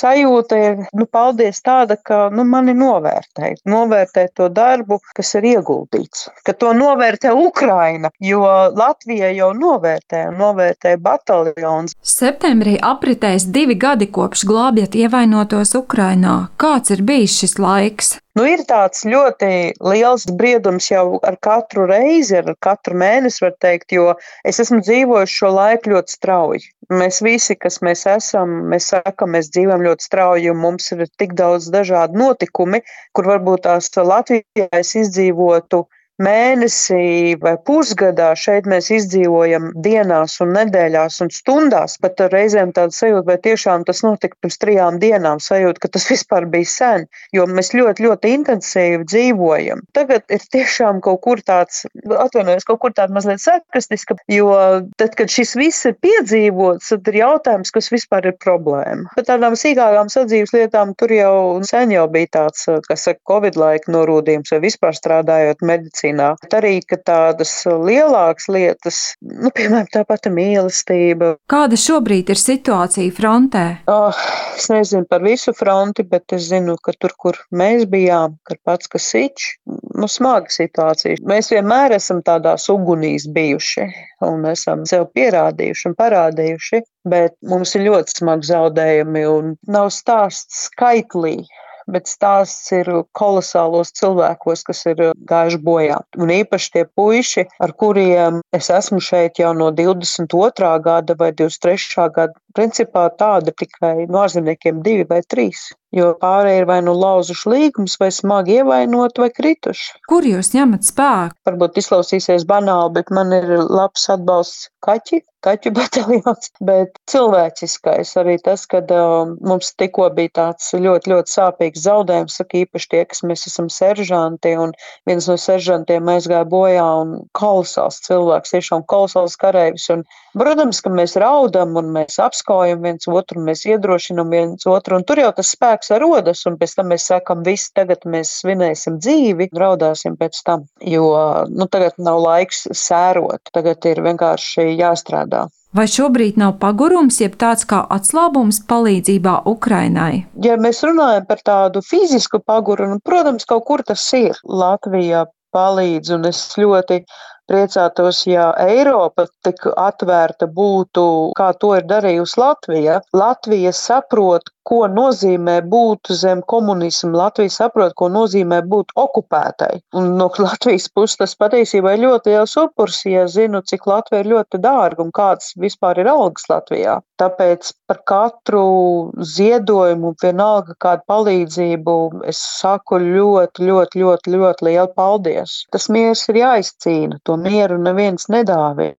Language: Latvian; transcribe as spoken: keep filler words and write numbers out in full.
sajūta ir, nu, paldies tāda, ka, nu, mani novērtē. Novērtē to darbu, kas ir ieguldīts. Ka to novērtē Ukraina, jo Latvija jau novērtē, novērtē bataljons. Septembrī apritēs divi gadi kopš glābjat ievainotos Ukrainā. Kāds ir bijis šis laiks? Nu, ir tāds ļoti liels briedums jau ar katru reizi, ar katru mēnesi, var teikt, jo es esmu dzīvojuši šo laiku ļoti strauji. Mēs visi, kas mēs esam, mēs sakam, mēs dzīvojam ļoti strauji, jo mums ir tik daudz dažādu notikumi, kur varbūt tās Latvijā es izdzīvotu mēnesī vai pusgadā, šeit mēs izdzīvojam dienās un nedēļās un stundās, pat reizēm tāda sajūta, vai tiešām tas notika pirms trijām dienām, sajūta, ka tas vispār bija sen, jo mēs ļoti, ļoti intensīvi dzīvojam. Tagad ir tiešām kaut kur tāds, atvainojos, kaut kur tāda mazliet sarkastiska, jo tad, kad šis viss ir piedzīvots, tad ir jautājums, kas vispār ir problēma. Par tādām sīkākām sadzīves lietām tur jau sen jau bija tāds, kas saka, Covid laika norūdījums vai vispār strādājot medicīnā. Arī, ka tādas lielākas lietas, nu, piemēram, tā pati mīlestība. Kāda šobrīd ir situācija frontē? Oh, es nezinu par visu fronti, bet es zinu, ka tur, kur mēs bijām, Karpatska Sič, nu, smaga situācija. Mēs vienmēr esam tādās ugunīs bijuši un esam sev pierādījuši un parādījuši, bet mums ir ļoti smagi zaudējumi un nav stāsts skaitlī. Bet stāsts ir kolosālos cilvēkos, kas ir gājuši bojā. Un īpaši tie puiši, ar kuriem es esmu šeit jau no divdesmit otrā gada vai divdesmit trešā gada, principā tāda tikai no ārzemniekiem divi vai trīs. Jo pārējie ir vai nu lauzuši līgumus, vai smagi ievainoti, vai krituši. Kur jūs ņemat spēku? Varbūt izklausīsies banāli, bet man ir labs atbalsts kaķi, kaķu bataljons, bet cilvēciskais arī tas, kad uh, mums tikko bija tāds ļoti, ļoti sāpīgs zaudējums, saka īpaši tie, kas mēs esam seržanti, un viens no seržantiem aizgāja bojā, un kolosāls cilvēks, tiešām kolosāls kareivis, un, protams, ka mēs raudam, un mēs apskaujam viens otru, un mēs iedrošinam viens otru, un tur jau tas spēks rodas, un pēc tam mēs sakam, visi tagad mēs svinēsim dzīvi, raudāsim pēc tam, jo, nu, tagad nav laiks sērot, tagad ir vienkārši jāstrādā. Vai šobrīd nav pagurums, jeb tāds kā atslābums palīdzībā Ukrainai? Ja mēs runājam par tādu fizisku pagurumu, protams, kaut kur tas ir. Latvija palīdz, un es ļoti priecātos, ja Eiropa tik atvērta būtu, kā to ir darījusi Latvija. Latvija saprot, ko nozīmē būt zem komunismu. Latvija saprot, ko nozīmē būt okupētai. Un no Latvijas puses tas patiesībā ir ļoti liels upurs, ja zinu, cik Latvija ir ļoti dārga un kāds vispār ir algas Latvijā. Tāpēc par katru ziedojumu, vienalga kādu palīdzību, es saku ļoti, ļoti, ļoti, ļoti lielu paldies. Tas miers ir jāizcīna, to mieru neviens nedāvē.